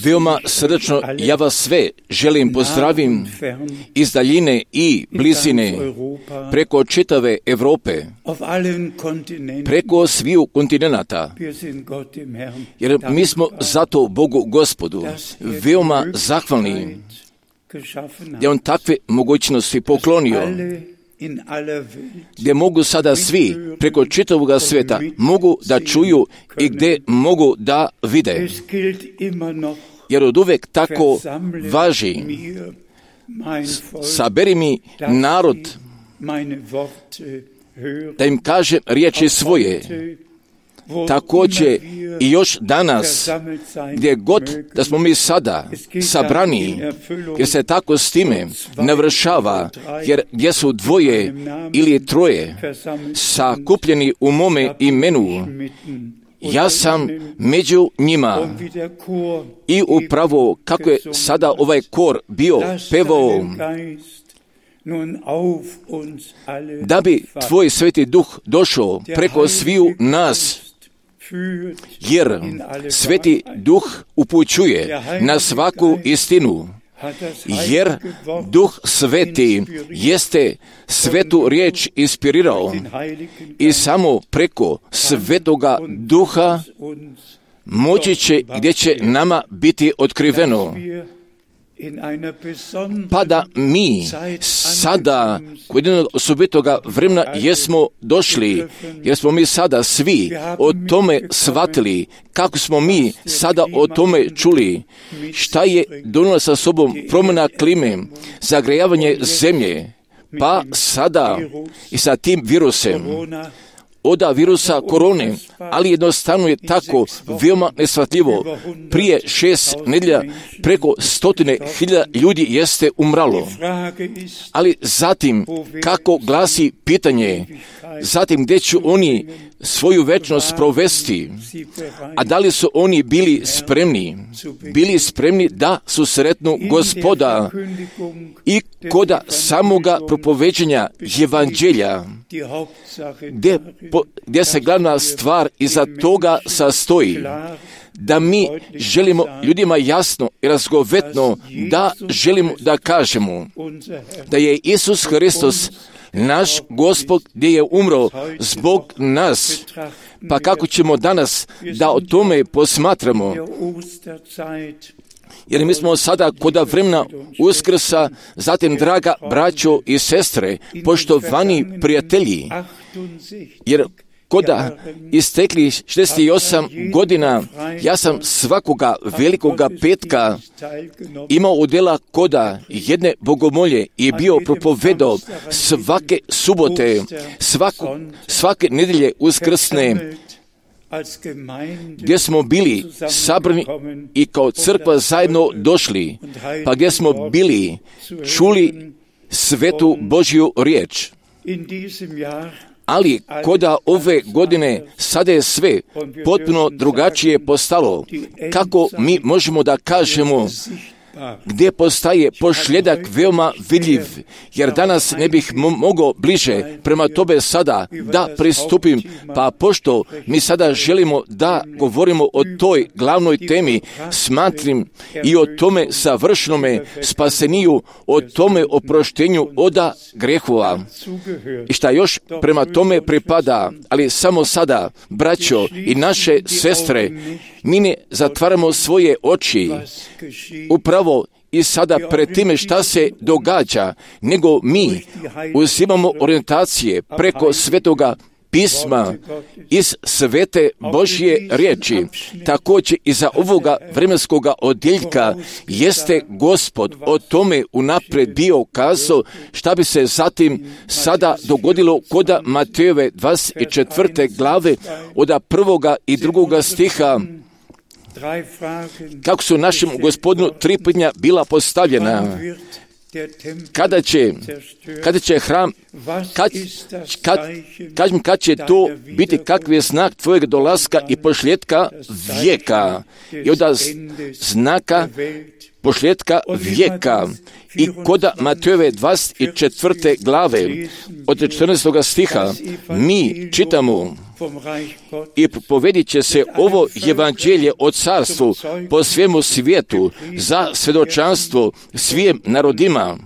Veoma srdačno ja vas sve želim pozdravim iz daljine i blizine, preko čitave Europe, preko sviju kontinenata, jer mi smo zato Bogu Gospodu veoma zahvalni, gdje On takve mogućnosti poklonio, gdje mogu sada svi preko čitavoga svijeta mogu da čuju i gdje mogu da vide. Jer od uvek tako važi: saberi mi narod da im kažem riječi svoje. Također i još danas, gdje god da smo mi sada sabrani, jer se tako s time navršava, jer gdje su dvoje ili troje sakupljeni u mome imenu, ja sam među njima. I upravo kako je sada ovaj kor bio pevao, da bi tvoj Sveti Duh došao preko sviju nas, jer Sveti Duh upućuje na svaku istinu, jer Duh Sveti jeste svetu riječ inspirirao i samo preko Svetoga Duha moći će gdje će nama biti otkriveno. Pa da mi sada kod jednog osobitoga vremena jesmo došli, jer smo mi sada svi o tome shvatili, kako smo mi sada o tome čuli, šta je donijela sa sobom promjena klime, zagrejavanje zemlje, pa sada i sa tim virusem, od virusa korone, ali jednostavno je tako veoma neshvatljivo. Prije 6 nedjelja preko 100.000 ljudi jeste umralo. Ali zatim, kako glasi pitanje, zatim gdje će oni svoju večnost provesti, a da li su oni bili spremni da susretnu Gospoda i koda samoga propoveđenja evanđelja, gdje se glavna stvar iza toga sastoji, da mi želimo ljudima jasno i razgovetno da želimo da kažemo da je Isus Hristos naš Gospod gdje je umro zbog nas. Pa kako ćemo danas da o tome posmatramo? Jer mi smo sada kod vremena Uskrsa, zatim, draga braćo i sestre, poštovani prijatelji, jer koda istekli 68 godina, ja sam svakoga velikoga petka imao udjela koda jedne bogomolje i bio propovedao svake subote, svake nedjelje uskrsne, gdje smo bili sabrani i kao crkva zajedno došli, pa gdje smo bili čuli svetu Božju riječ. Ali koda ove godine sada je sve potpuno drugačije postalo. Kako mi možemo da kažemo gdje postaje pošljedak veoma vidljiv, jer danas ne bih mogao bliže prema tobe sada da pristupim, pa pošto mi sada želimo da govorimo o toj glavnoj temi, smatrim i o tome savršnome spaseniju, o tome oproštenju oda grehova i šta još prema tome pripada. Ali samo sada, braćo i naše sestre, mi ne zatvaramo svoje oči upravo i sada pred time šta se događa, nego mi uzimamo orijentacije preko Svetoga Pisma iz svete Božje riječi. Također iza ovoga vremenskoga odjeljka jeste Gospod o tome unaprijed bio kazao šta bi se zatim sada dogodilo koda Matejove 24. glave od 1. i 2. stiha. Kako su našem Gospodinu 3 pitanja bila postavljena: kada će hram, kad će to biti, kakvi je znak tvojeg dolaska i pošljetka vijeka, i od znaka posljedka vijeka. I kod Matejove 24. glave od 14. stiha mi čitamo: i propovjedit će se ovo evanđelje o carstvu po svemu svijetu za svjedočanstvo svim narodima,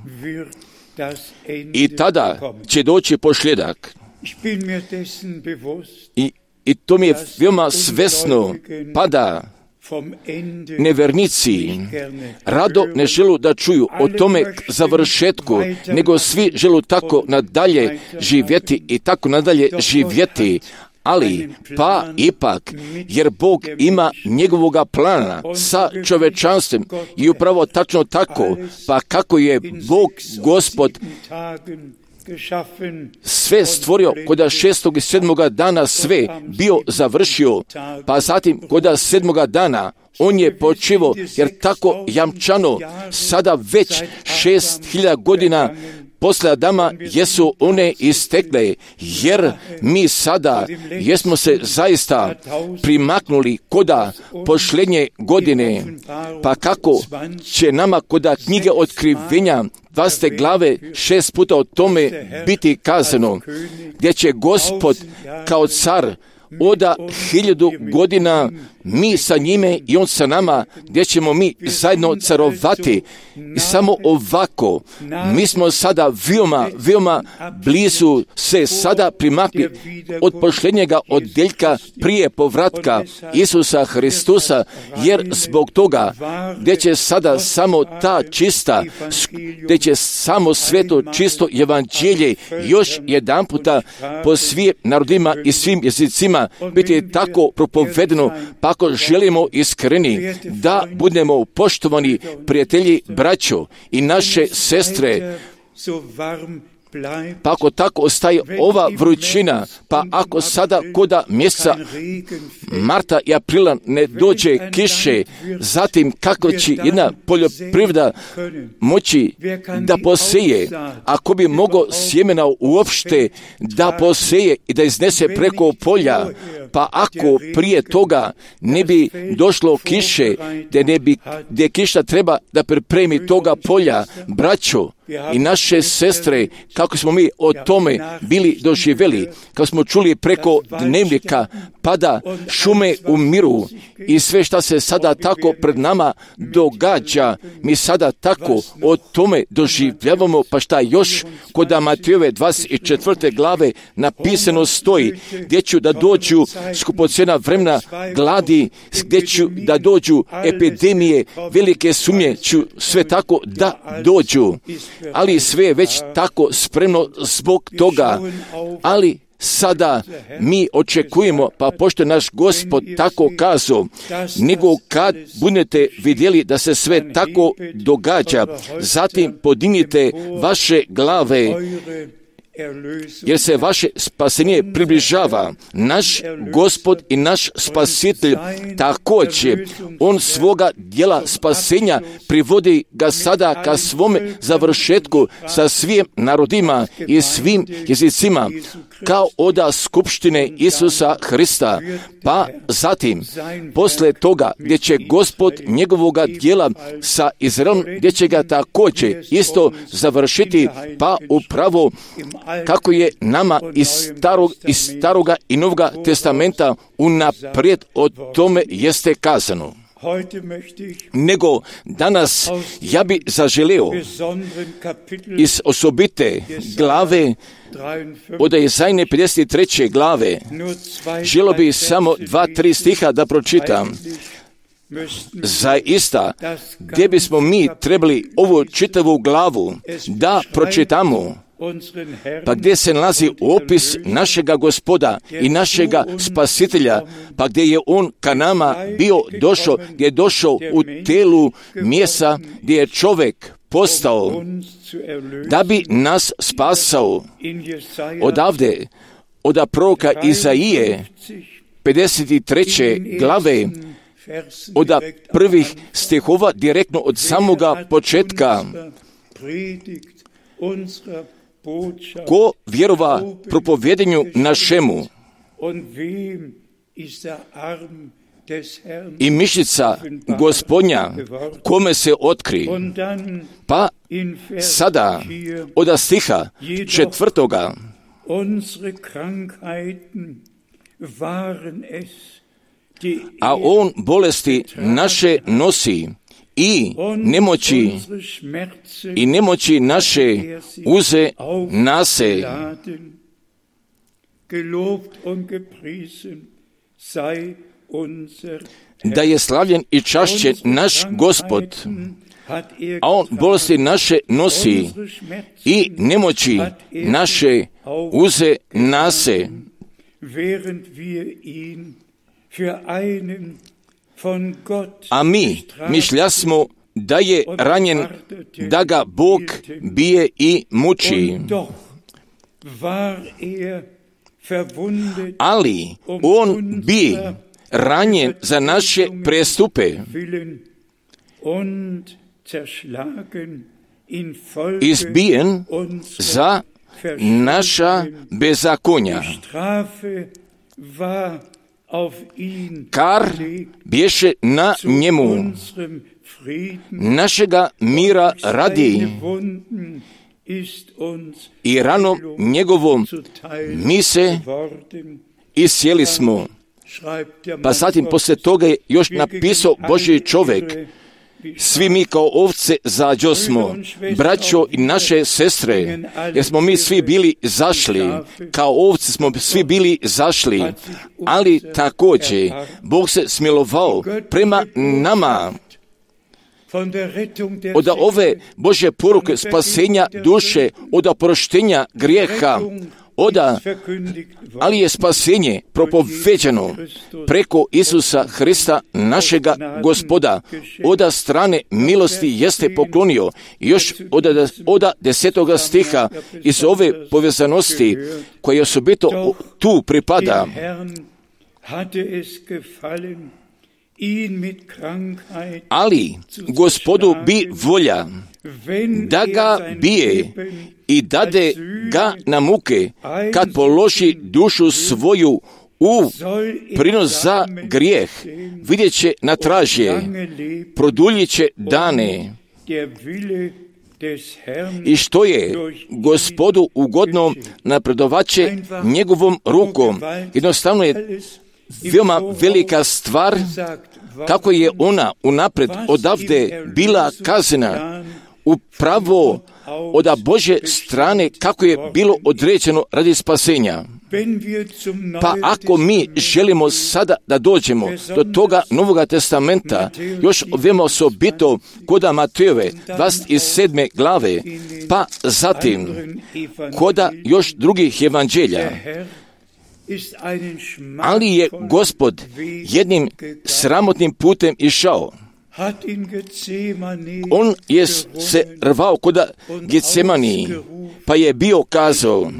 i tada će doći posljedak. I to mi je veoma svesno, pada nevernici rado ne želu da čuju o tome završetku, nego svi želu tako nadalje živjeti i tako nadalje živjeti. Ali, pa ipak, jer Bog ima njegovoga plana sa čovečanstvom i upravo tačno tako, pa kako je Bog Gospod sve stvorio, kod 6. i 7. dana sve bio završio, pa zatim kod 7. dana on je počivo, jer tako jamčano sada već 6.000 godina posle Adama jesu one istekle, jer mi sada jesmo se zaista primaknuli koda posljednje godine, pa kako će nama koda knjige otkrivenja 20. glave 6 puta o tome biti kazano, gdje će Gospod kao car od 1000 godina mi sa njime i on sa nama, gdje ćemo mi zajedno carovati. I samo ovako, mi smo sada veoma blizu se sada primakli od posljednjega odjeljka prije povratka Isusa Hristusa, jer zbog toga gdje će sada samo ta čista, gdje će samo sveto čisto evanđelje još jedan puta po svim narodima i svim jezicima biti tako propovedeno, pa ako želimo iskreni da budemo poštovani prijatelji, braćo i naše sestre, pa ako tako ostaje ova vrućina, pa ako sada koda mjeseca marta i aprila ne dođe kiše, zatim kako će jedna poljoprivreda moći da poseje, ako bi mogao sjemena uopšte da poseje i da iznese preko polja, pa ako prije toga ne bi došlo kiše, gdje kiša treba da pripremi toga polja, braćo i naše sestre, kako smo mi o tome bili doživjeli, kako smo čuli preko dnevnika, pada šume umiru i sve šta se sada tako pred nama događa, mi sada tako o tome doživljavamo, pa šta još kod Matejove 24. glave napisano stoji, gdje ću da dođu skupocjena vremena gladi, gdje ću da dođu epidemije, velike sumnje ću sve tako da dođu, ali sve je već tako spremno zbog toga, ali sada mi očekujemo, pa pošto naš Gospod tako kazao, nego kad budete vidjeli da se sve tako događa, zatim podignite vaše glave, jer se vaše spasenje približava. Naš Gospod i naš Spasitelj također, on svoga dijela spasenja privodi ga sada ka svome završetku sa svim narodima i svim jezicima, kao oda skupštine Isusa Hrista. Pa zatim, posle toga, gdje će Gospod njegovoga dijela sa Izraelom, gdje će ga također isto završiti, pa upravo kako je nama iz staroga i novoga testamenta unaprijed o tome jeste kazano. Nego danas ja bi zaželeo iz osobite glave od Jezajne 53. glave, želio bi samo 2-3 stiha da pročitam. Zaista, gdje bismo mi trebali ovu čitavu glavu da pročitamo, pa gdje se nalazi opis našega Gospoda i našega Spasitelja, pa gdje je on ka nama bio došao, gdje je došao u telu mjesta, gdje je čovjek postao da bi nas spasao. Odavde, od proroka Izaije 53. glave, od prvih stihova, direktno od samoga početka, ko vjerova propovjedanju našemu i mišica Gospodnja kome se otkri. Pa sada od stiha 4. A on bolesti naše nosi i nemoći naše uze nase. Da je slavljen i čašćen naš Gospod, a on bolesti naše nosi i nemoći naše uze nase. A mi mišljasmo da je ranjen, da ga Bog bije i muči. Ali on bi ranjen za naše prestupe, izbijen za naša bezakonja. Kar bješe na njemu, našega mira radi, i ranom njegovom mi se iscijeli smo. Pa zatim poslije toga je još napisao Božji čovjek: svi mi kao ovce zađosmo, braćo i naše sestre, jer smo mi svi bili zašli, kao ovce smo svi bili zašli, ali također Bog se smilovao prema nama. Od ove Božje poruke spasenja duše, od oproštenja grijeha, ali je spasenje propoveđeno preko Isusa Hrista, našega Gospoda. Od strane milosti jeste poklonio. Još od 10. stiha iz ove povezanosti koja osobito tu pripada. Ali Gospodu bi volja da ga bije i dade ga na muke, kad položi dušu svoju u prinos za grijeh, vidjet će na tražje, produljit će dane. I što je Gospodu ugodno, napredovat će njegovom rukom. Jednostavno je veoma velika stvar kako je ona unapred odavde bila kazana, upravo od Božje strane kako je bilo određeno radi spasenja. Pa ako mi želimo sada da dođemo do toga Novoga testamenta, još veoma osobito kod Matejove 27. glave, pa zatim kod još drugih evanđelja, ali je Gospod jednim sramotnim putem išao. On je se rvao kod Getsemaniji, pa je bio kazao: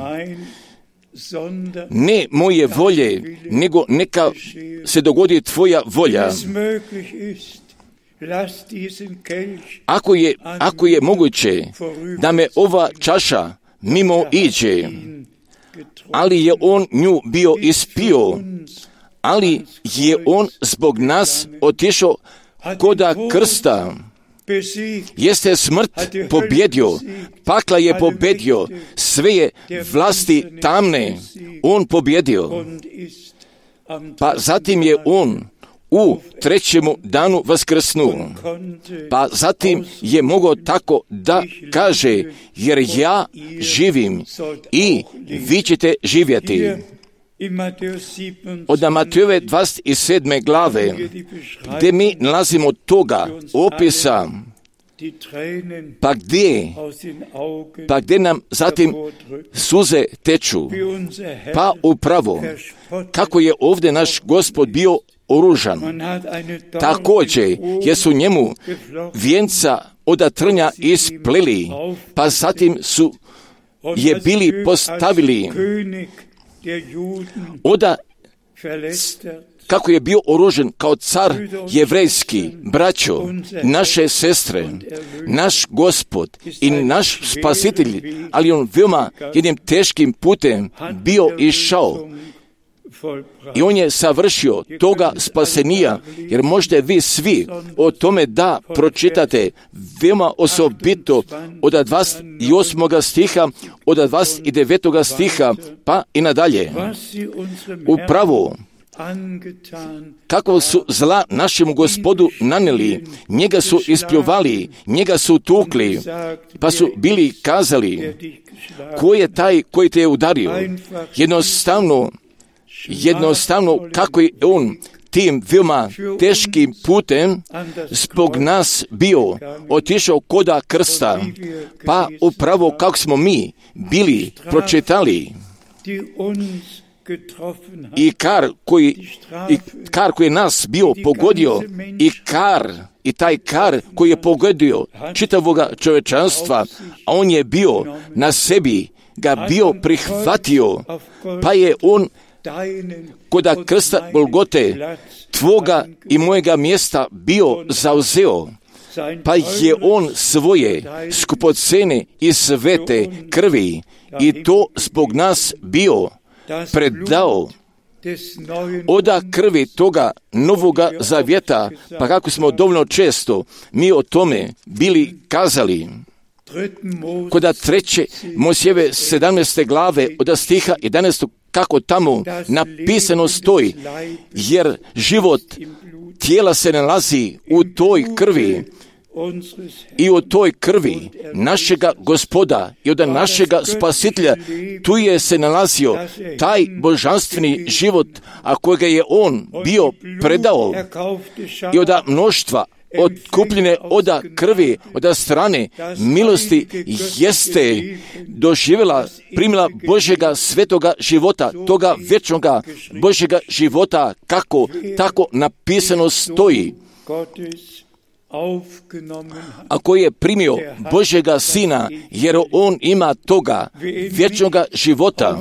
ne moje volje, nego neka se dogodi tvoja volja. Ako je moguće da me ova čaša mimo iđe, ali je on nju bio ispio, ali je on zbog nas otišao koda krsta. Jeste smrt pobjedio, pakla je pobjedio, sve je vlasti tamne on pobjedio. Pa zatim je on u 3. danu vaskrsnuo. Pa zatim je mogao tako da kaže: jer ja živim i vi ćete živjeti. Od Matejove 27. glave, gdje mi nalazimo toga opisa, pa gdje nam zatim suze teču, pa upravo kako je ovdje naš Gospod bio oružan. Također jer su njemu vijenca od trnja ispleli, pa zatim su je bili postavili kako je bio oružen kao car jevrejski. Braćo, naše sestre, naš Gospod i naš spasitelj, ali on veoma jednim teškim putem bio išao I on je savršio toga spasenija, jer možete vi svi o tome da pročitate veoma osobito od 28. stiha, od 29. stiha, pa i nadalje. Upravo kako su zla našemu Gospodu naneli, njega su ispljuvali, njega su tukli, pa su bili kazali, ko je taj koji te je udario? Jednostavno kako je on tim veoma teškim putem zbog nas bio otišao koda krsta, pa upravo kako smo mi bili pročitali i kar koji je nas bio pogodio i taj kar koji je pogodio čitavoga čovečanstva, a on je bio na sebi ga bio prihvatio, pa je on koda krsta Golgote tvoga i mojega mjesta bio zauzeo, pa je on svoje skupocene i svete krvi i to zbog nas bio predao oda krvi toga novoga zavjeta, pa kako smo dovoljno često mi o tome bili kazali. Koda 3. Mojsijeve 17. glave od stiha 11. kako tamo napisano stoji, jer život tijela se nalazi u toj krvi i u toj krvi našega Gospoda i od našega Spasitelja, tu je se nalazio taj božanstveni život, a kojega je on bio predao i od mnoštva otkupljene oda krvi, oda strane milosti jeste doživjela, primila Božjega svetoga života, toga vječnoga Božjega života, kako tako napisano stoji. Ako je primio Božjega Sina, jer on ima toga vječnoga života,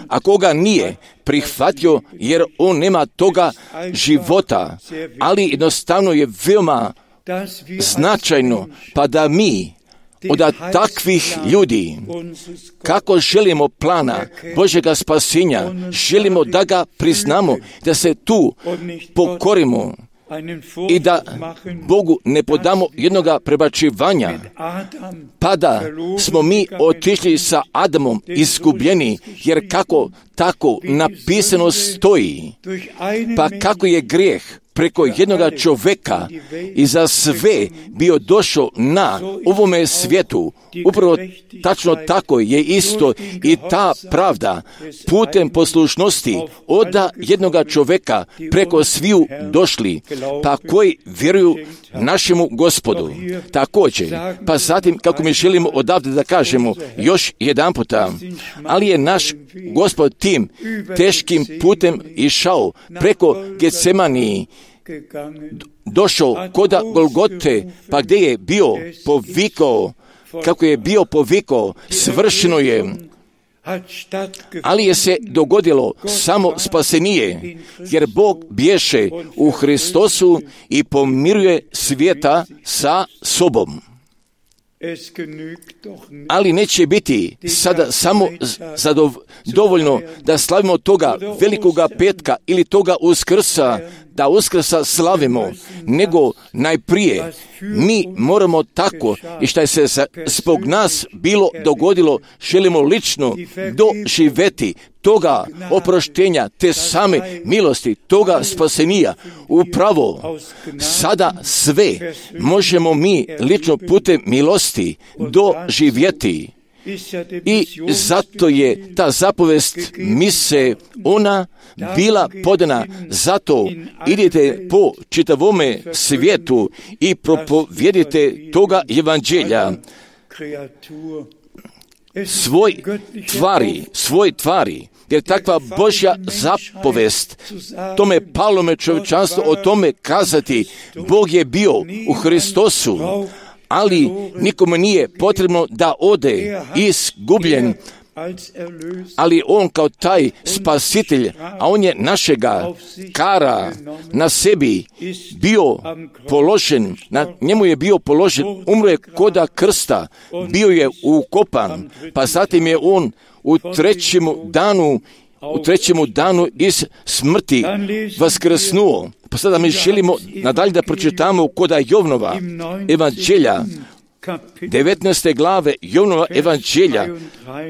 ako ga nije prihvatio, jer on nema toga života, ali jednostavno je veoma značajno, pa da mi od takvih ljudi, kako želimo plana Božjega spasenja, želimo da ga priznamo, da se tu pokorimo i da Bogu ne podamo jednoga prebačivanja, pa da smo mi otišli sa Adamom izgubljeni, jer kako tako napisano stoji, pa kako je grijeh preko jednoga čovjeka i za sve bio došao na ovome svijetu, upravo tačno tako je isto i ta pravda putem poslušnosti od jednoga čovjeka preko sviju došli, pa koji vjeruju našemu Gospodu. Također, pa zatim kako mi želimo odavde da kažemo još jedan puta, ali je naš Gospod tim teškim putem išao preko Getsemaniji, došao koda Golgote, pa gdje je bio povikao, kako je bio povikao, svršeno je. Ali je se dogodilo samo spasenije, jer Bog bješe u Hristosu i pomiruje svijeta sa sobom. Ali neće biti sada samo dovoljno da slavimo toga velikoga petka ili toga Uskrsa, da Uskrsa slavimo, nego najprije mi moramo tako i što je se zbog nas bilo dogodilo, želimo lično doživjeti toga oproštenja, te same milosti, toga spasenija. Upravo sada sve možemo mi lično putem milosti doživjeti. I zato je ta zapovest mise ona bila podana, zato idite po čitavome svijetu i propovjedite toga evanđelja svoj tvari, jer takva Božja zapovest, tome palome čovječanstvo o tome kazati, Bog je bio u Hristosu, ali nikome nije potrebno da ode izgubljen, ali on kao taj spasitelj, a on je našega kara na sebi bio položen, na njemu je bio položen, umro je koda krsta, bio je ukopan, pa zatim je on u 3. danu u trećemu danu iz smrti vaskrsnuo. Pa sada mi želimo nadalje da pročitamo koda Jovnova evanđelja, 19. glave Jovnova evanđelja,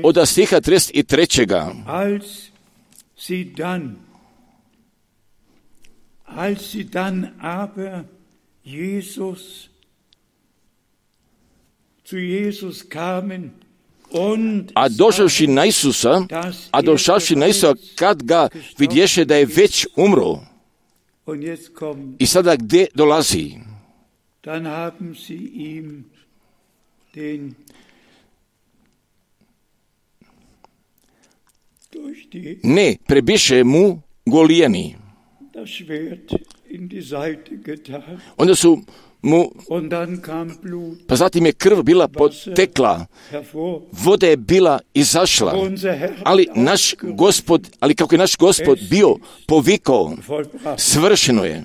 od stiha 33. Als sie dann aber zu Jesus kamen, a došavši na Isusa, kad ga vidješe da je već umro, i sada gdje dolazi? Dann haben sie ihm ne, prebiše mu golijeni. das Schwert in die Seite getan. Onda su mu, Und dann kam Blut pa zatim je krv bila potekla, hervor. voda je bila izašla, ali kako je naš Gospod bio povikao, svršeno je.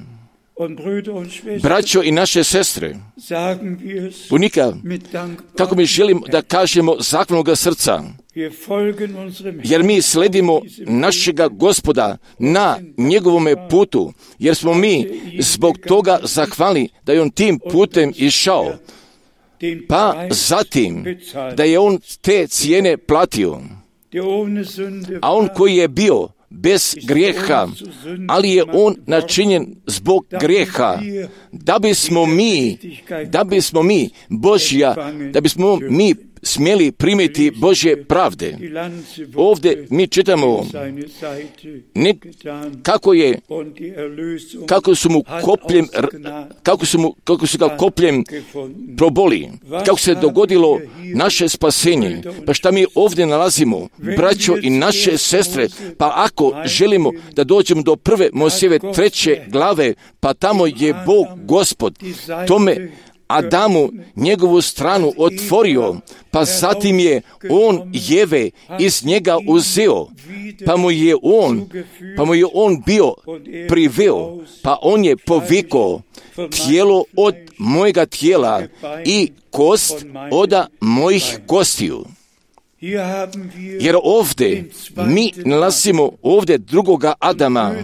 Und Brüder und Schwestern, Braćo i naše sestre, sagen wir es unika, mit dankbarem kako mi želimo da kažemo zahvalnoga srca, Wir folgen unserem jer mi sledimo našega Gospoda na njegovome putu, jer smo mi zbog toga zahvalni da je on tim putem išao, pa zatim da je on te cijene platio, der ohne Sünde a on koji je bio bez grijeha, ali je on načinjen zbog grijeha, da bismo mi smjeli primiti Božje pravde. Ovdje mi čitamo kako su ga kopljem proboli, kako se dogodilo naše spasenje. Pa šta mi ovdje nalazimo, braćo i naše sestre, pa ako želimo da dođemo do 1. Mojsijeve 3. glave, pa tamo je Bog Gospod tome Adamu njegovu stranu otvorio, pa zatim je on Jeve iz njega uzeo, pa mu je on bio priveo, pa on je povikao tijelo od mojega tijela i kost od mojih kostiju. Jer ovdje mi nalazimo ovdje drugoga Adama,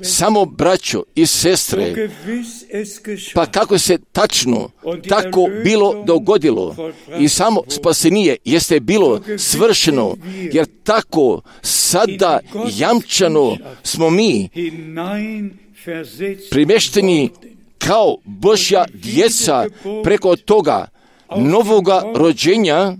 samo braćo i sestre, pa kako se tačno tako bilo dogodilo i samo spasenije jeste bilo svršeno, jer tako sada jamčano smo mi primješteni kao Božja djeca preko toga novoga rođenja,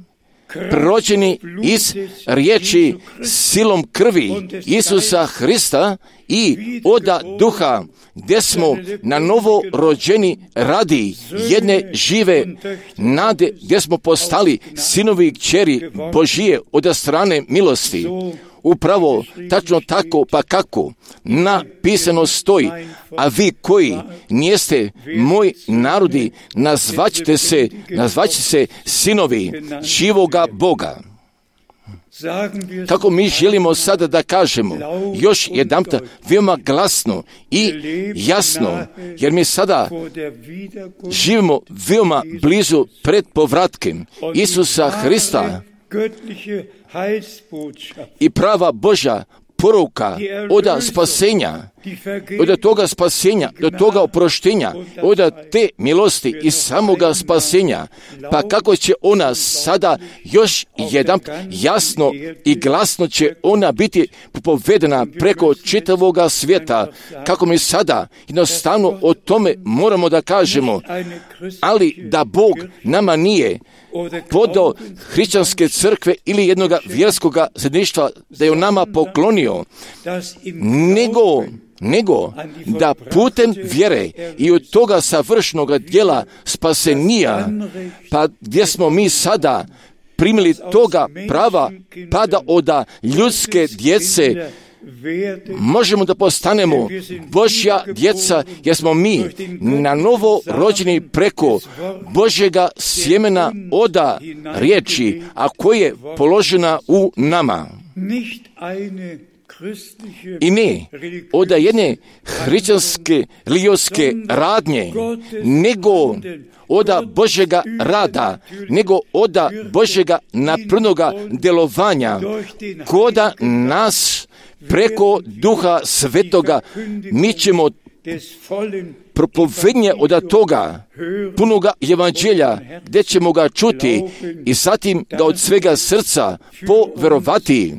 rođeni iz riječi silom krvi Isusa Hrista i od duha, gdje smo na novo rođeni radi jedne žive nade, gdje smo postali sinovi i kćeri Božije od strane milosti. Upravo tačno tako, pa kako napisano stoji, a vi koji nijeste moj narodi, nazvaćete se sinovi živoga Boga. Kako mi želimo sada da kažemo još jedanputa veoma glasno i jasno, jer mi sada živimo veoma blizu pred povratkem Isusa Hrista i prava Božja poruka od spasenja, od toga spasenja, do toga oproštenja, od te milosti i samoga spasenja, pa kako će ona sada još jedan jasno i glasno će ona biti povedena preko čitavoga svijeta, kako mi sada jednostavno o tome moramo da kažemo, ali da Bog nama nije podao hrišćanske crkve ili jednoga vjerskoga zajedništva da je on nama poklonio, nego da putem vjere i od toga savršenog djela spasenija, pa gdje smo mi sada primili toga prava, pa da od ljudske djece možemo da postanemo Božja djeca, jer smo mi na novo rođeni preko Božjega sjemena od riječi, a koja je položena u nama. I ne od jedne hrišćanske religijske radnje, nego od Božjega rada, nego od Božjega naprnoga djelovanja, koda nas preko Duha Svetoga mi ćemo propovednje od toga punoga evanđelja, gdje ćemo ga čuti i zatim ga od svega srca poverovati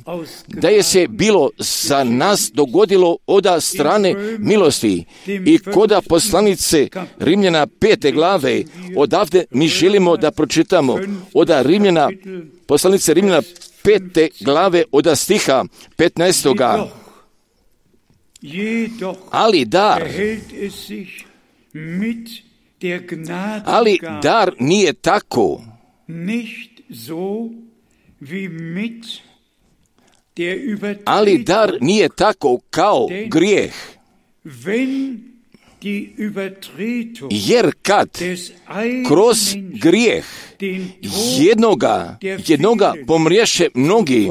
da je se bilo za nas dogodilo od strane milosti. I koda poslanice Rimljana 5. glave, odavde mi želimo da pročitamo od Rimljana, poslanice Rimljana 5. glave od stiha 15. Ali dar nije tako. Ali dar nije tako kao grijeh. Jer kad kroz grijeh jednoga pomriješe mnogi,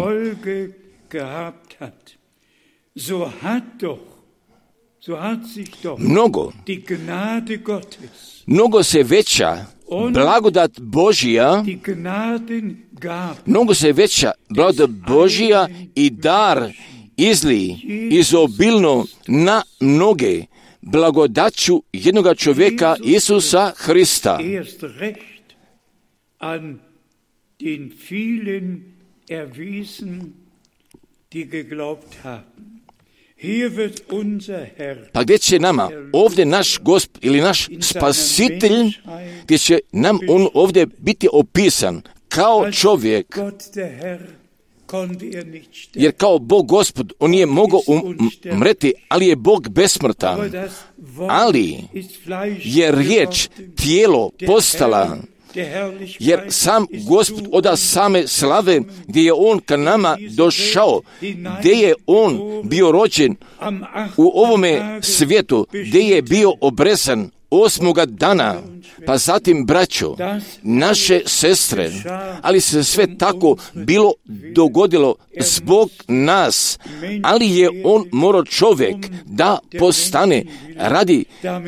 mnogo se veća blagodat Božja, i dar izli izobilno na mnoge blagodaću jednoga čovjeka Isusa Hrista. Pa gdje će nama ovdje naš Gospod ili naš Spasitelj, gdje će nam on ovdje biti opisan kao čovjek, jer kao Bog Gospod on nije mogao umreti, ali je Bog besmrtan. Ali je riječ tijelo postala, jer sam Gospod od same slave, gdje je on ka nama došao, gdje je on bio rođen u ovome svijetu, gdje je bio obrezan 8. dana, pa zatim braćo, naše sestre, ali se sve tako bilo dogodilo zbog nas, ali je on morao čovjek da postane radi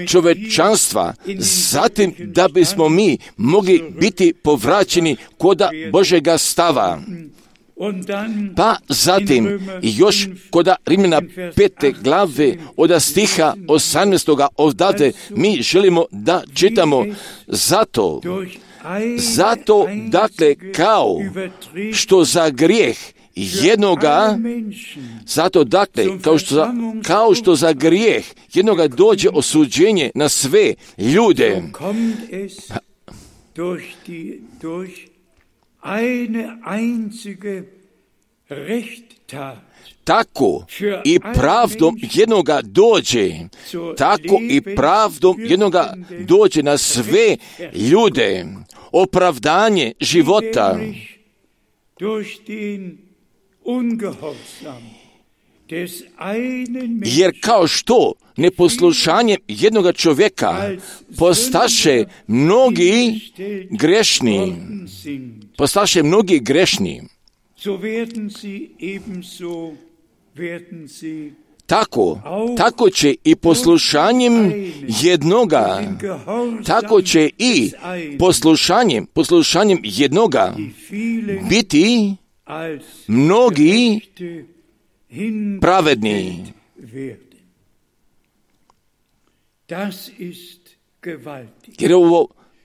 čovečanstva, zatim da bismo mi mogli biti povraćeni kod Božega stava. Pa zatim još kod Rimljana 5. glave od stiha 18. odavde mi želimo da čitamo zato dakle kao što za grijeh jednoga, kao što za grijeh jednoga dođe osuđenje na sve ljude, tako i pravdom jednoga dođe na sve ljude opravdanje života. Jer kao što neposlušanjem jednoga čovjeka postaše mnogi grešni, tako će i poslušanjem jednoga, biti mnogi pravedni.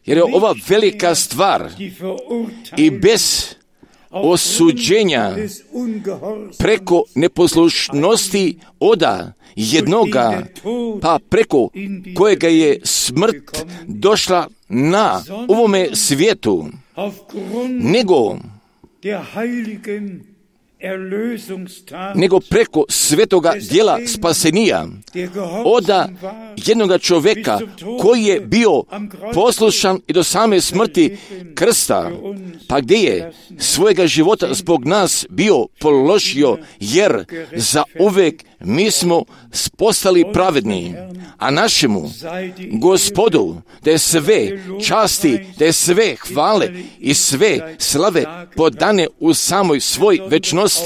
Jer je ova velika stvar i bez osuđenja preko neposlušnosti oda jednoga, pa preko kojega je smrt došla na ovome svijetu, nego preko svetoga djela spasenija oda jednoga čovjeka koji je bio poslušan i do same smrti krsta, pa gdje je svojega života zbog nas bio položio, jer za uvijek mi smo postali pravedni, a našemu Gospodu da je sve časti, da je sve hvale i sve slave podane u samoj svoj večnosti.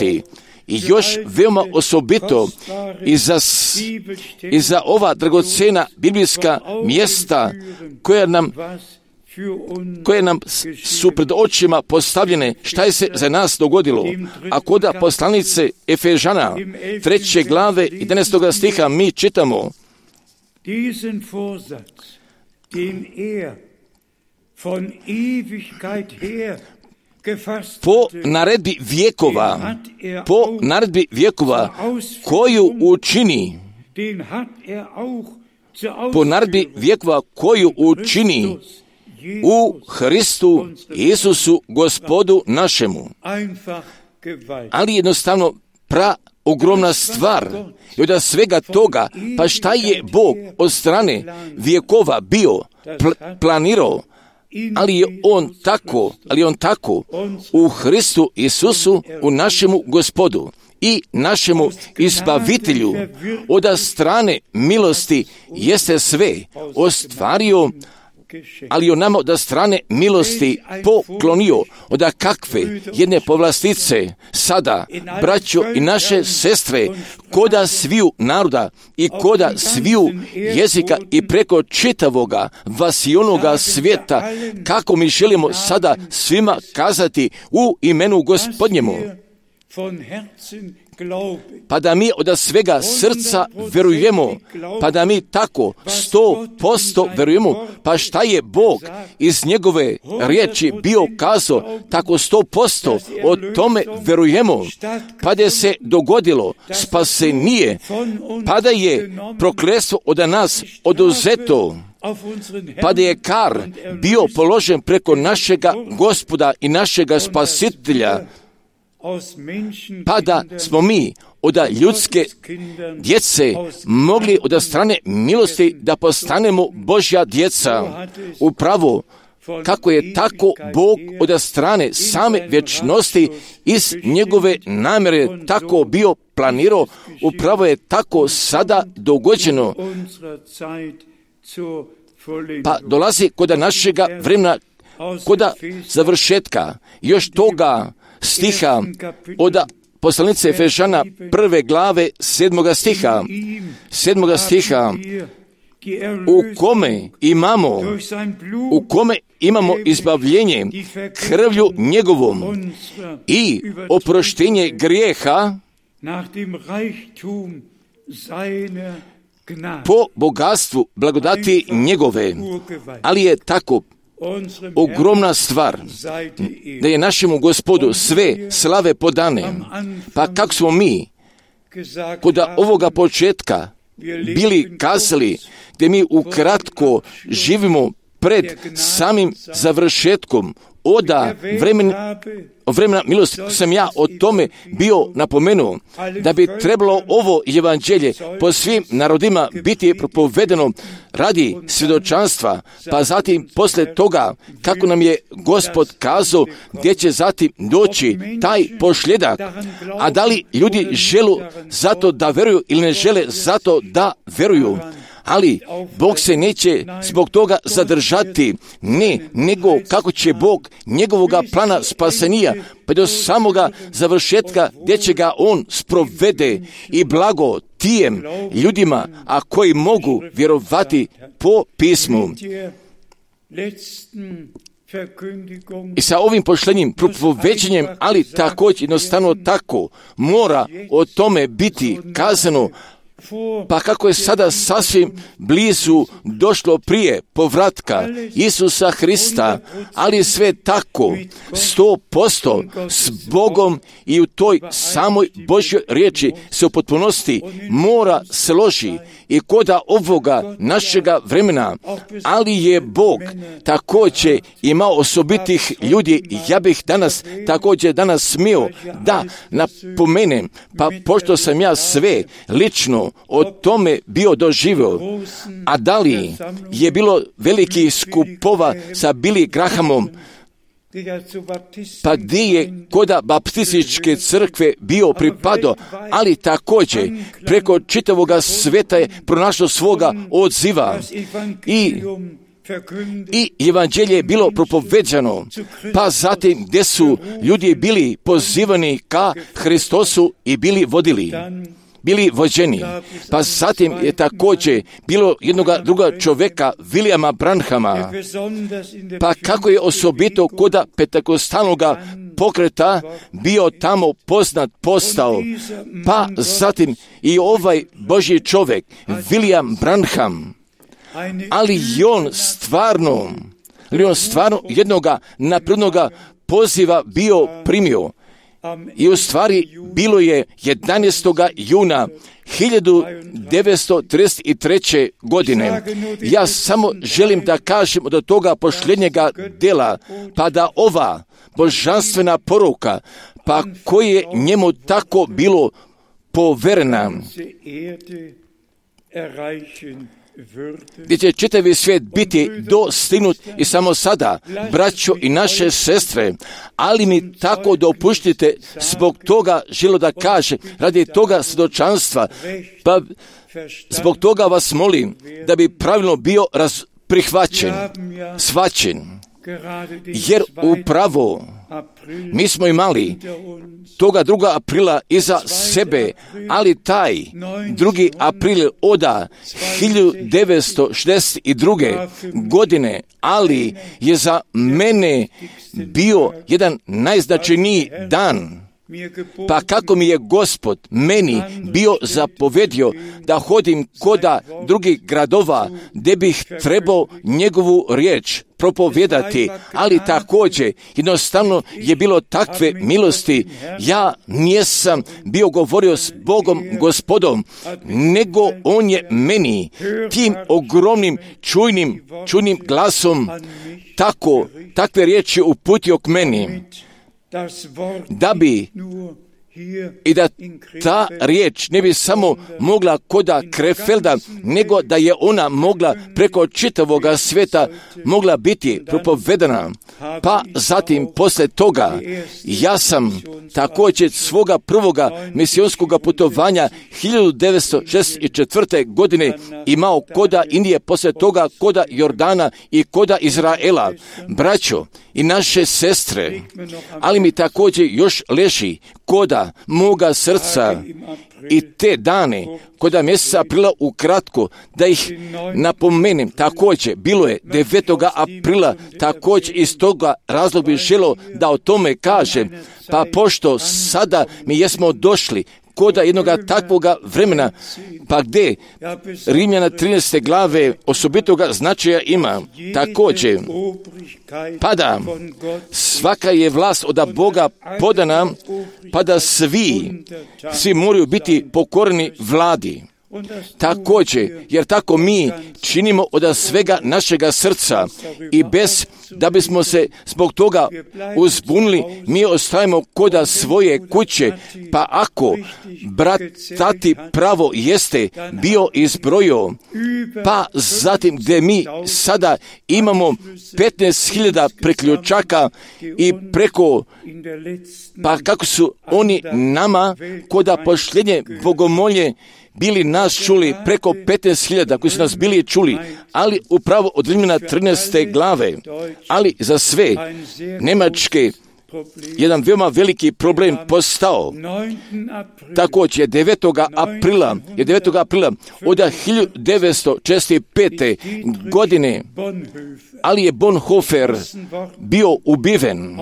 I još veoma osobito i za ova dragocena biblijska mjesta koja nam koje nam su pred očima postavljene, šta je se za nas dogodilo. A kod poslanice Efežana 3. glave 11. stiha mi čitamo: po naredbi vjekova koju učini u Hristu Isusu Gospodu našemu. Ali jednostavno ogromna stvar. I od svega toga, pa šta je Bog od strane vjekova bio planirao, ali je on tako u Hristu Isusu, u našemu Gospodu i našemu Izbavitelju od strane milosti jeste sve ostvario, ali on nama od strane milosti poklonio. Od kakve jedne povlastice sada, braćo i naše sestre, koda sviju naroda i koda sviju jezika i preko čitavoga vasionoga svijeta, kako mi želimo sada svima kazati u imenu Gospodnjemu. Pa da mi od svega srca verujemo, pa da mi tako 100% verujemo, pa šta je Bog iz njegove riječi bio kazao, tako 100% o tome verujemo, pa da se dogodilo spasenje, pa da je prokletstvo od nas oduzeto, pa da je kar bio položen preko našega Gospoda i našega Spasitelja, pa da smo mi od ljudske djece mogli od strane milosti da postanemo Božja djeca. Upravo kako je tako Bog od strane same vječnosti iz njegove namjere tako bio planirao, upravo je tako sada dogođeno. Pa dolazi kod našega vremena, kod završetka još toga stiha od poslanice Efežana 1. glave 7. stiha, u kome imamo izbavljenje krvlju njegovom i oproštenje grijeha po bogatstvu blagodati njegove. Ali je tako ogromna stvar da je našemu Gospodu sve slave podane. Pa kako smo mi kod ovoga početka bili kazali, gdje mi ukratko živimo pred samim završetkom od vremena milosti, sam ja o tome bio napomenuo, da bi trebalo ovo evanđelje po svim narodima biti propovedeno radi svjedočanstva, pa zatim poslije toga, kako nam je Gospod kazao, gdje će zatim doći taj pošljedak, a da li ljudi žele zato da veruju ili ne žele zato da veruju. Ali Bog se neće zbog toga zadržati, ne, nego kako će Bog njegovoga plana spasenija pa do samoga završetka gdje će ga on sprovede i blago tijem ljudima, a koji mogu vjerovati po pismu. I sa ovim poštenjim propoveđenjem, ali također jednostavno tako mora o tome biti kazano. Pa kako je sada sasvim blizu došlo prije povratka Isusa Hrista, ali sve tako 100% s Bogom i u toj samoj Božjoj riječi se u potpunosti mora složi i koda ovoga našega vremena, ali je Bog također imao osobitih ljudi. Ja bih također danas smio da napomenem, pa pošto sam ja sve lično o tome bio doživio, a da li je bilo velikih skupova sa Billy Grahamom, pa gdje je koda baptističke crkve bio pripadao, ali također preko čitavoga sveta je pronašao svoga odziva i evanđelje je bilo propoveđano, pa zatim gdje su ljudi bili pozivani ka Hristosu i bili vodili. bili vođeni. Pa zatim je također bilo jednoga druga čovjeka, Williama Branhama. Pa kako je osobito kod pentekostalnog pokreta bio tamo poznat postao. Pa zatim i ovaj Božji čovjek, William Branham. Ali on stvarno jednoga naprednoga poziva bio primio. I u stvari bilo je 11. juna 1933. godine. Ja samo želim da kažem do toga posljednjega dela, pa da ova božanstvena poruka, pa koje je njemu tako bilo poverena, gdje će čitavi svijet biti dostignut i samo sada, braćo i naše sestre, ali mi tako dopuštite, zbog toga želo da kaže, radi toga svjedočanstva, pa zbog toga vas molim da bi pravilno bio prihvaćen, shvaćen, jer upravo mi smo imali toga 2. aprila iza sebe, ali taj 2. april oda 1962. godine, ali je za mene bio jedan najznačajniji dan. Pa kako mi je Gospod meni bio zapovedio da hodim koda drugih gradova gdje bih trebao njegovu riječ propovijedati, ali također jednostavno je bilo takve milosti. Ja nisam bio govorio s Bogom Gospodom, nego on je meni tim ogromnim čujnim glasom takve riječi uputio k meni, da bi i da ta riječ ne bi samo mogla koda Krefelda, nego da je ona mogla preko čitavog svijeta mogla biti propovedana. Pa zatim poslije toga ja sam također svoga prvoga misijonskog putovanja 1964. godine imao koda Indije, poslije toga koda Jordana i koda Izraela. Braćo i naše sestre, ali mi također još leži koda moga srca i te dane, koda mjeseca aprila ukratko, da ih napomenem, također bilo je 9. aprila, također iz toga razloga bih želio da o tome kažem, pa pošto sada mi jesmo došli koda jednoga takvoga vremena, pa gdje Rimljana 13. glave osobitoga značaja ima, također, pa da svaka je vlast od Boga podana, pa da svi moraju biti pokorni vladi. Također, jer tako mi činimo od svega našega srca i bez da bismo se zbog toga uzbunili, mi ostajemo koda svoje kuće, pa ako brat tati pravo jeste bio izbrojio, pa zatim gdje mi sada imamo 15.000 priključaka i preko, pa kako su oni nama koda posljednje bogomolje bili nas čuli preko 15.000 koji su nas bili čuli, ali upravo od Rimljana 13. glave, ali za sve Njemačke jedan veoma veliki problem postao. Također 9. aprila od 1965. godine, ali je Bonhoeffer bio ubiven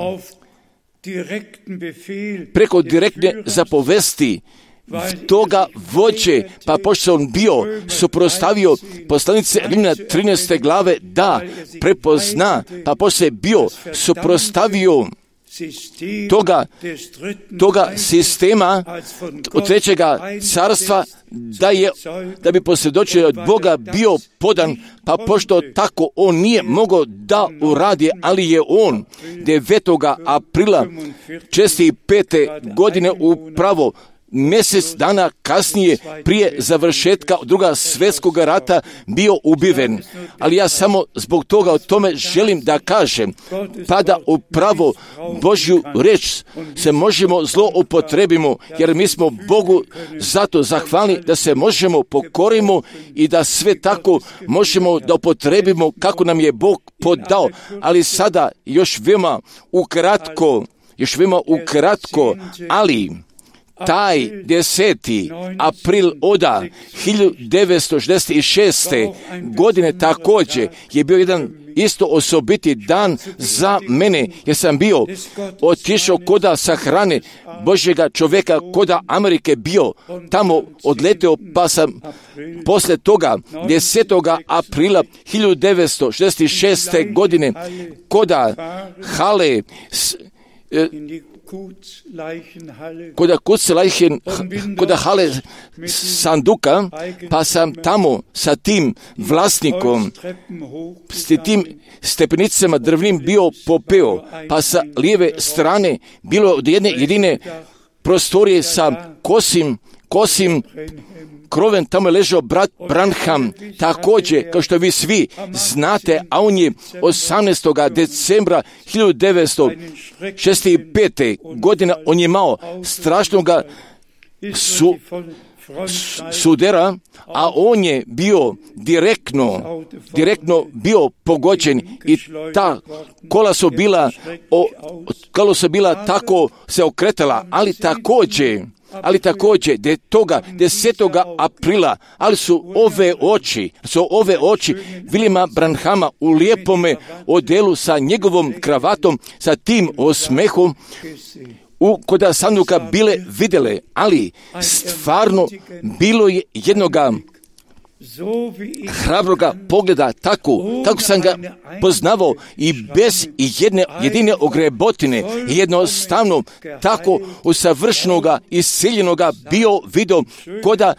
preko direktne zapovesti toga vođe, pa pošto on bio suprotstavio poslanice Rimljana 13. glave da prepozna, pa pošto je bio suprotstavio toga sistema od trećega carstva, da bi posvjedočio od Boga bio podan, pa pošto tako on nije mogao da uradi, ali je on 9. aprila 65. godine upravo mjesec dana kasnije, prije završetka Drugog svjetskog rata, bio ubiven. Ali ja samo zbog toga o tome želim da kažem, pa da upravo Božju riječ se možemo zloupotrebimo, jer mi smo Bogu zato zahvalni da se možemo pokorimo i da sve tako možemo da upotrebimo kako nam je Bog podao. Ali sada još veoma ukratko, ali taj 10. april oda 1966. godine također je bio jedan isto osobiti dan za mene, jer sam bio otišao koda sahrane Božjega čovjeka koda Amerike bio tamo odletio, pa sam poslije toga 10. aprila 1966. godine koda hale koda hale sanduka, pa sam tamo sa tim vlasnikom, s tim stepenicama drvnim bio popeo, pa sa lijeve strane bilo od jedne jedine prostorije sa kosim kroven, tamo je ležao brat Branham, također, kao što vi svi znate, a on je 18. decembra 1965. godine, on je imao strašnoga sudera, a on je bio direktno bio pogođen i ta kola su bila tako se okretala, ali također toga 10. aprila, ali su ove oči Williama Branhama u lijepome odelu sa njegovom kravatom, sa tim osmehom koda sanduka bile vidjele, ali stvarno bilo je jednoga hrabroga pogleda, tako sam ga poznavao i bez jedine ogrebotine, jednostavno tako usavršenoga i siljenoga bio vidio koda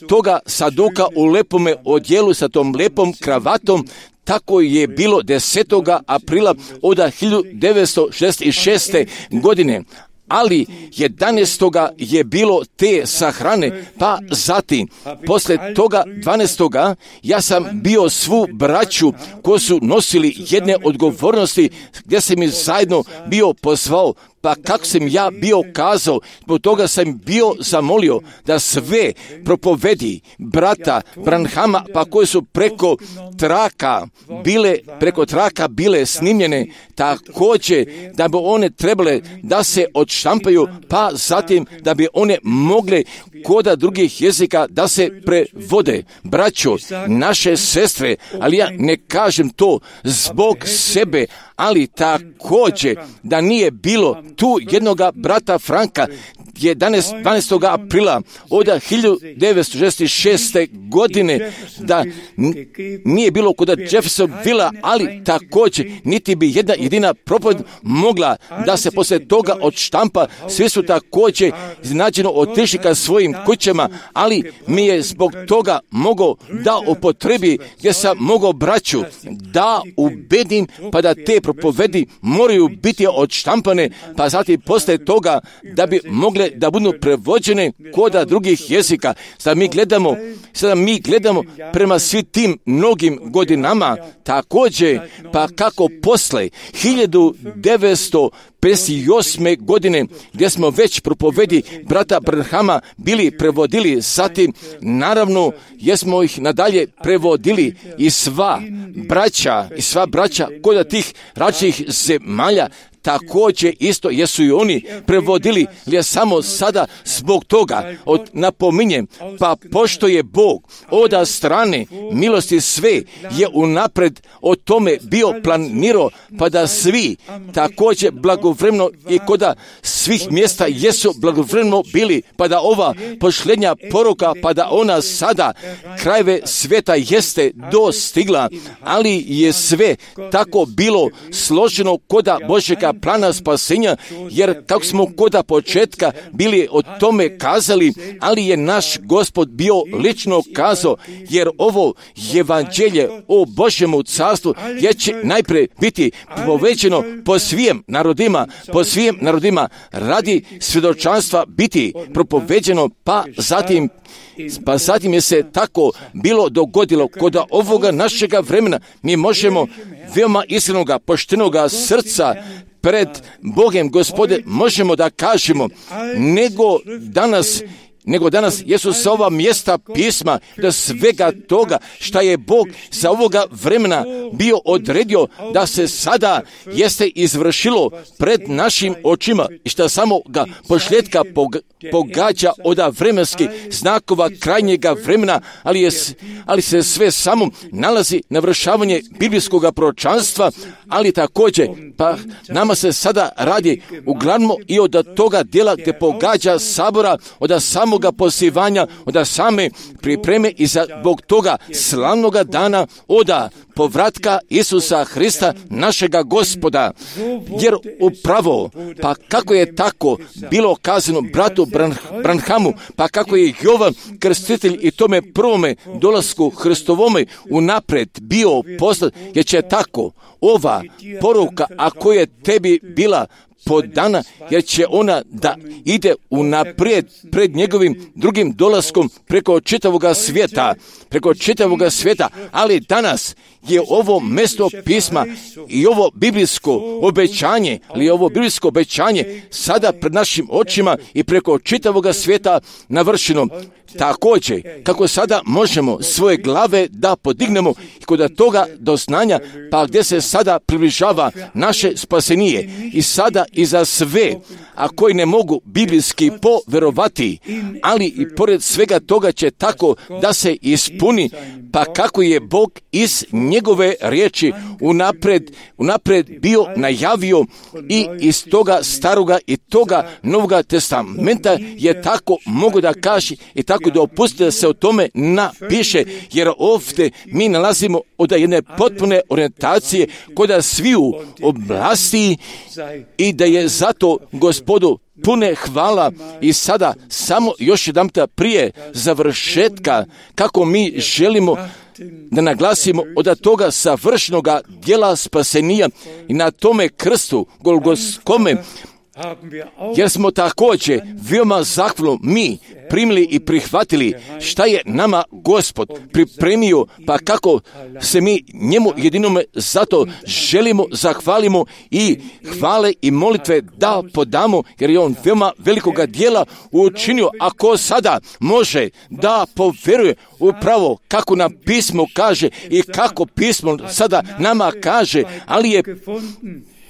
toga saduka u lepome odjelu sa tom lepom kravatom. Tako je bilo 10. aprila od 1966. godine. Ali 11. je bilo te sahrane, pa zatim, poslije toga 12. ja sam bio svu braću koji su nosili jedne odgovornosti, gdje sam ih zajedno bio pozvao, pa kako sam ja bio kazao, zbog toga sam bio zamolio da sve propovedi brata Branhama, pa koje su preko traka bile snimljene, također da bi one trebale da se odštampaju, pa zatim da bi one mogle koda drugih jezika da se prevode. Braćo, naše sestre, ali ja ne kažem to zbog sebe, ali također da nije bilo tu jednoga brata Franka 12. aprila od 1966. godine, da nije bilo kod Jeffersonvilla, ali također niti bi jedna jedina propoved mogla da se poslije toga odštampa. Svi su također iznenađeno otišli ka svojim kućama, ali mi je zbog toga mogao da upotrebi, gdje sam mogao braću da ubedim, pa da te propovedi moraju biti odštampane, pa zatim poslije toga da bi mogle da budu prevođene koda drugih jezika. Sada mi gledamo prema svim tim mnogim godinama, također, pa kako posle 1958. godine, gdje smo već propovedi brata Branhama bili prevodili, zatim naravno jesmo ih nadalje prevodili i sva braća kod tih različitih zemalja, također isto jesu i oni prevodili, ali samo sada zbog toga napominjem, pa pošto je Bog od strane milosti sve je unapred o tome bio planirao, pa da svi također blagovremeno i koda svih mjesta jesu blagovremeno bili, pa da ova posljednja poruka, pa da ona sada krajeve svijeta jeste dostigla, ali je sve tako bilo složeno koda Božjega plana spasenja, jer kako smo koda početka bili o tome kazali, ali je naš Gospod bio lično kazao, jer ovo evanđelje o Božjemu carstvu je će najprije biti povećeno po svim narodima radi svjedočanstva biti propoveđeno, pa zatim je se tako bilo dogodilo kod ovoga našega vremena. Mi možemo veoma iskrenoga, poštenoga srca pred Bogem, Gospode, možemo da kažemo, nego danas nego danas jesu sa ova mjesta pisma, da svega toga šta je Bog za ovoga vremena bio odredio da se sada jeste izvršilo pred našim očima i šta samo ga pošljetka pogađa od vremenskih znakova krajnjega vremena, ali se sve samo nalazi na vršavanje biblijskog proročanstva, ali također pa nama se sada radi uglavnom i od toga dijela gdje pogađa sabora, od samoga pozivanja, od same pripreme i zbog toga slavnoga dana od povratka Isusa Hrista, našega Gospoda. Jer upravo, pa kako je tako bilo kazano bratu Branhamu, pa kako je Jovan Krstitelj i tome prvome dolasku Hristovome unaprijed bio poslat, jer će tako ova poruka, ako je tebi bila podana, jer će ona da ide unaprijed pred njegovim drugim dolaskom preko čitavoga svijeta, ali danas je ovo mjesto pisma i ovo biblijsko obećanje, sada pred našim očima i preko čitavoga svijeta navršeno. Također, kako sada možemo svoje glave da podignemo i kod toga doznanja, pa gdje se sada približava naše spasenije i sada i za sve, a koji ne mogu biblijski poverovati, ali i pored svega toga će tako da se ispuni, pa kako je Bog iz njegove riječi unaprijed bio najavio i iz toga staroga i toga novoga testamenta je tako mogu da kaže i tako da opusti da se o tome napiše, jer ovdje mi nalazimo od jedne potpune orijentacije kod sviju oblasti i da je zato Gospodu pune hvala. I sada samo još jedanputa prije završetka kako mi želimo da naglasimo od toga savršenoga djela spasenija i na tome krstu Golgotskome, jer smo također veoma zahvalno mi primili i prihvatili šta je nama Gospod pripremio, pa kako se mi njemu jedinome zato želimo, zahvalimo i hvale i molitve da podamo, jer je on veoma velikoga djela učinio. Ako sada može da poveruje upravo kako nam pismo kaže i kako pismo sada nama kaže, ali je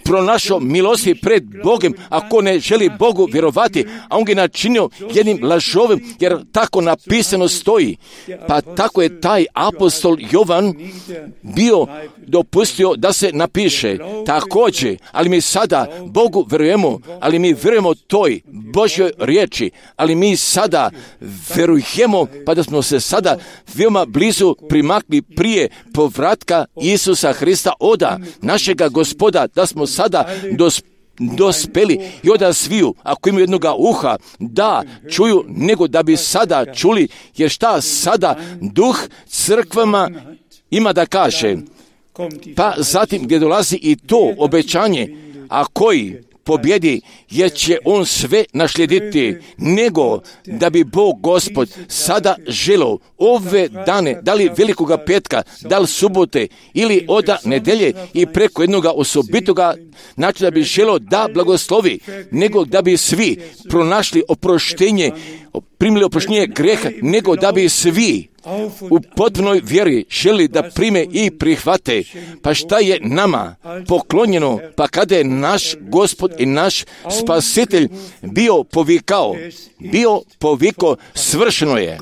pronašao milosti pred Bogom, ako ne želi Bogu vjerovati, a on ga načinio jednim lažovim, jer tako napisano stoji. Pa tako je taj apostol Jovan bio dopustio da se napiše također, ali mi sada Bogu vjerujemo, ali mi vjerujemo toj Božjoj riječi, ali mi sada vjerujemo, pa da smo se sada veoma blizu primakli prije povratka Isusa Hrista oda našega Gospoda, da smo sada dospeli i od sviju, ako imaju jednoga uha, da čuju, nego da bi sada čuli, jer šta sada duh crkvama ima da kaže. Pa zatim gdje dolazi i to obećanje, a koji pobjedi, jer će on sve našlijediti, nego da bi Bog Gospod sada želio ove dane, da li velikoga petka, da li subote ili od nedelje i preko jednoga osobitoga načina da bi želio da blagoslovi, nego da bi svi pronašli oproštenje, primili oproštenje greha, nego da bi svi u potpunoj vjeri želi da prime i prihvate. Pa šta je nama poklonjeno, pa kada je naš Gospod i naš Spasitelj bio povikao, svršeno je.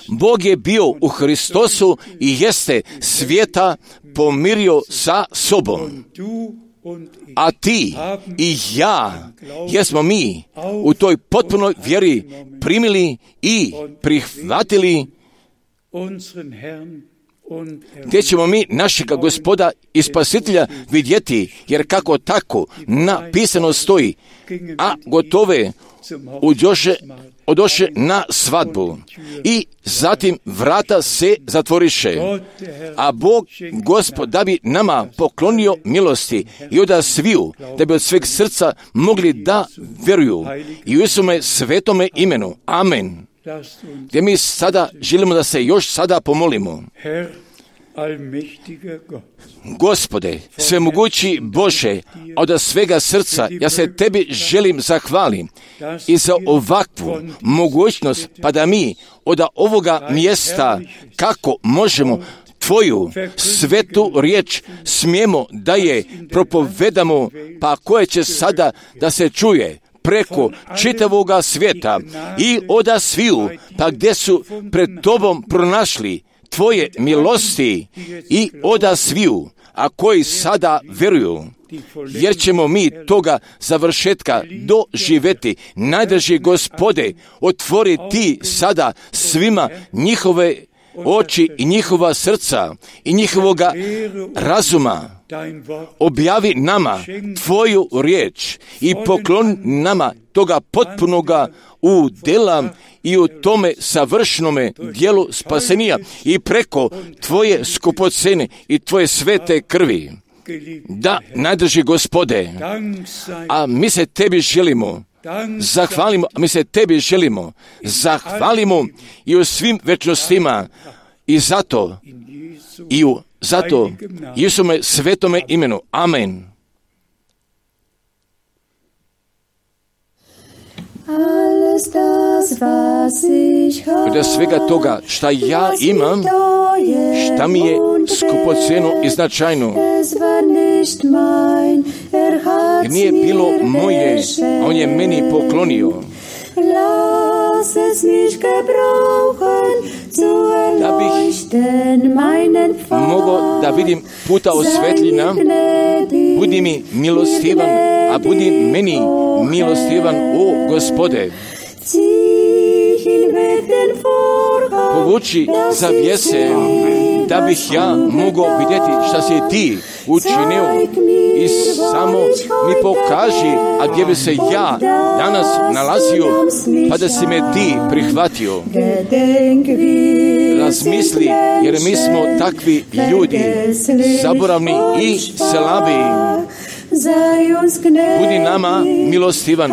Bog je bio u Hristosu i jeste svijeta pomirio sa sobom. A ti i ja, jesmo mi u toj potpunoj vjeri primili i prihvatili, gdje ćemo mi našega Gospoda i Spasitelja vidjeti, jer kako tako napisano stoji, a gotove odoše na svadbu i zatim vrata se zatvoriše. A Bog Gospod da bi nama poklonio milosti i od sviju, da bi od sveg srca mogli da vjeruju i u svome svetome imenu. Amen. Gdje mi sada želimo da se još sada pomolimo. Gospode, svemogući Bože, od svega srca ja se Tebi želim zahvalim i za ovakvu mogućnost, pa da mi od ovoga mjesta kako možemo Tvoju svetu riječ smijemo da je propovedamo, pa koje će sada da se čuje preko čitavoga svijeta i od sviju, pa gdje su pred Tobom pronašli Tvoje milosti i od sviju, a koji sada vjeruju, jer ćemo mi toga završetka doživjeti. Najdrži Gospode, otvori Ti sada svima njihove oči i njihova srca i njihovoga razuma. Objavi nama Tvoju riječ i pokloni nama toga potpunoga udjela i u tome savršnome dijelu spasenija i preko Tvoje skupocene i Tvoje svete krvi. Da, najdrži Gospode, a mi se Tebi želimo zahvalimo, a mi se Tebi želimo zahvalimo i u svim večnostima i zato Isume svetome imenu. Amen. Od svega toga šta ja imam, šta mi je skupoceno i značajno, jer nije bilo moje, a on je meni poklonio. Da bih mogao da vidim puta osvetljena, budi mi milostivan, a budi meni milostivan, o Gospode. Povuči zavjese, da bih ja mogao vidjeti šta si Ti učinio i samo mi pokaži, a gdje bi se ja danas nalazio, pa da si me Ti prihvatio. Razmisli, jer mi smo takvi ljudi, zaboravni i slabi. Budi nama milostivan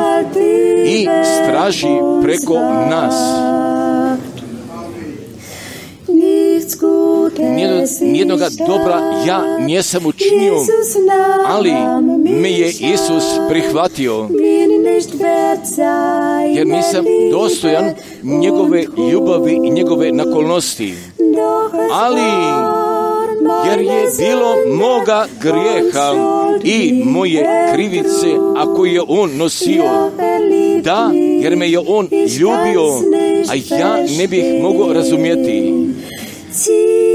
i straži preko nas. Nijednoga dobra ja nisam učinio, ali me je Isus prihvatio, jer nisam dostojan njegove ljubavi i njegove naklonosti. Ali jer je bilo moga grijeha i moje krivice, ako je on nosio, da, jer me je on ljubio, a ja ne bih mogao razumjeti.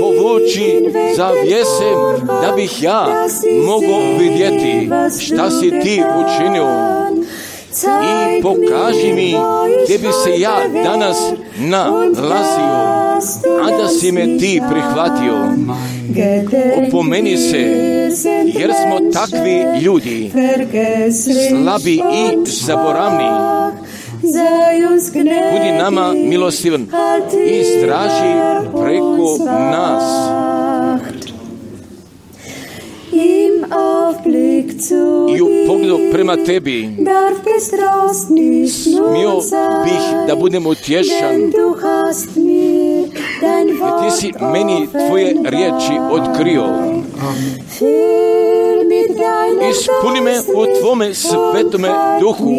Povuči zavjese, da bih ja mogao vidjeti šta si Ti učinio i pokaži mi gdje bi se ja danas nalazio, a da si me Ti prihvatio. Opomeni se, jer smo takvi ljudi, slabi i zaboravni. Budi nama milostivan i straži preko nas. I u pogledu prema Tebi smio bih da budem utješan, jer Ti si meni Tvoje riječi otkrio. Ispuni me u Tvome svetome duhu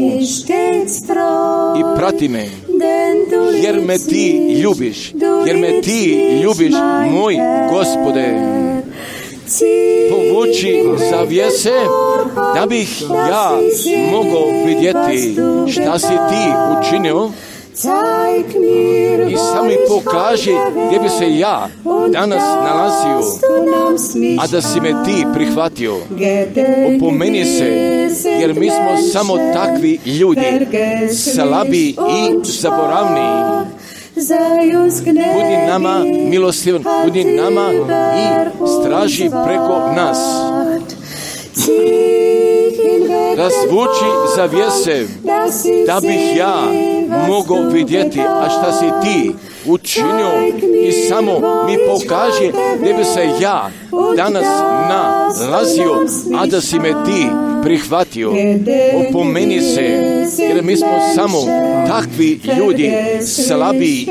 i prati me, jer me Ti ljubiš, moj Gospode. Povuči zavjese, da bih ja mogao vidjeti šta si Ti učinio i sam mi pokaži gdje bi se ja danas nalazio, a da si me Ti prihvatio. Opomeni se, jer mi smo samo takvi ljudi, slabi i zaboravni. Budi nama milostivan, budi nama i straži preko nas. Razvuči zavjese, da bih ja mogao vidjeti, a šta si Ti učinio i samo mi pokaži gdje bi se ja danas nalazio, a da si me Ti prihvatio. Opomeni se, jer mi smo samo takvi ljudi, slabi i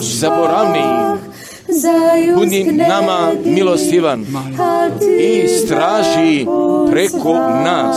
zaboravni. budi nama milostivan i straži preko nas.